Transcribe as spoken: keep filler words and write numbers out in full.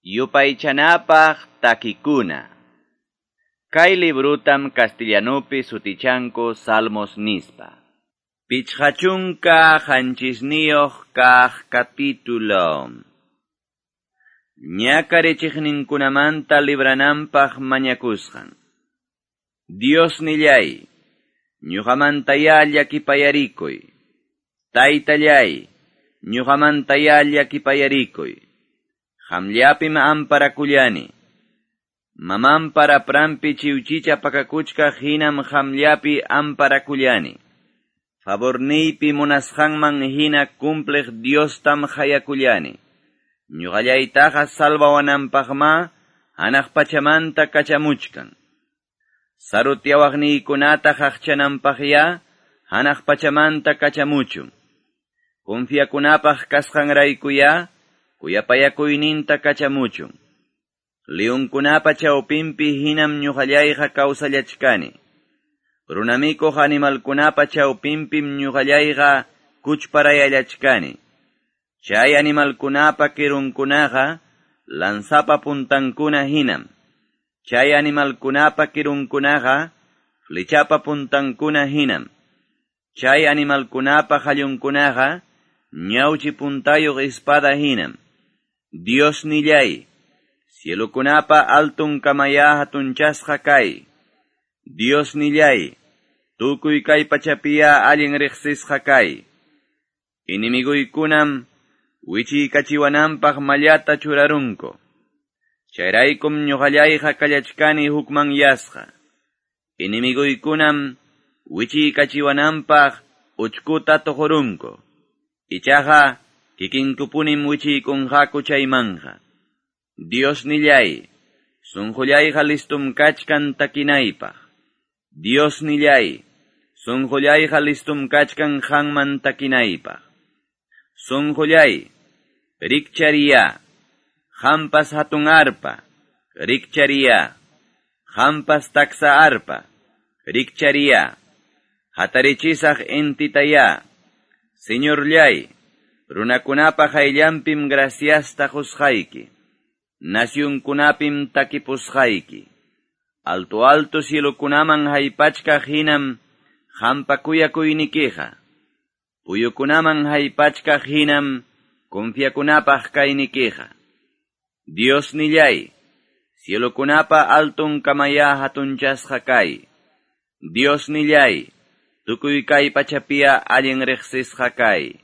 Yupaychanapaq takikuna. Kay librutam castellanupi sutichanku Salmos nispa. Pichqa chunka qanchisniyuq kaq capítulo. Ñakarichiqninkunamanta librananpaq mañakusqan. Dios nillay, ñuqamantayá llakipayarikuy. Taytallay, ñuqamantayá llakipayarikuy. Qamllapim amparakullani. Mamanpa rapranpi chiwchicha pakakuchkaq hinam qamllapi amparakullani. Favorniypi munasqanman hina cumpliq Diostam hayakullani. Ñuqallaytaqa salvawananpaqma hanaq pachamanta kachamuchkan. Sarutyawaqniykunata qaqchananpaqya hanaq pachamanta kachamuchun. Confiakunapaq kasqanraykuya kuyapayakuyninta kachamuchun. Leonkunapa chawpinpi hinam ñuqallayqa kawsallachkani. Runamikuq animalkunapa chawpinpim ñuqallayqa kuchparayallachkani. Chay animalkunapa kirunkunaqa lanzapa puntankuna hinam. Chay animalkunapa kirunkunaqa flechapa puntankuna hinam. Chay animalkunapa qallunkunaqa ñawchi puntayuq espada hinam. Dios nillay, cielokunapa altun kamaya hatunchasqa kay. Dios nillay, tukuy kay pachapiya allin riqsisqa kay. Inimiguykunam wichiykachiwananpaq mallata churarunku. Chayraykum ñuqallayqa kallachkani hukmanyasqa. Inimiguykunam wichiykachiwananpaq uchkuta tuqurunku. Ichaqa kikinkupunim wichiykunqaku chaymanja. Dios nillay, sunqullayqa listum kachkan takinaypaq. Dios nillay, sunqullayqa listum kachkan qanman takinaypaq. Sunqullay, rikchariya, qampas hatun arpa, rikchariya, qampas taksa arpa, rikchariya, hatarichisaq intitaya, Señorllay, runakunapa qayllanpim graciasta qusqayki, nasyunkunapim takipusqayki. Alto alto cielokunaman haypachkaq hinam qampa kuyakuynikiqa. Puyukunaman haypachkaq hinam confiakunapaq kaynikiqa. Dios nillay, cielokunapa altun kamaya hatunchasqa kay. Dios nillay, tukuy kay pachapiya allin riqsisqa kay.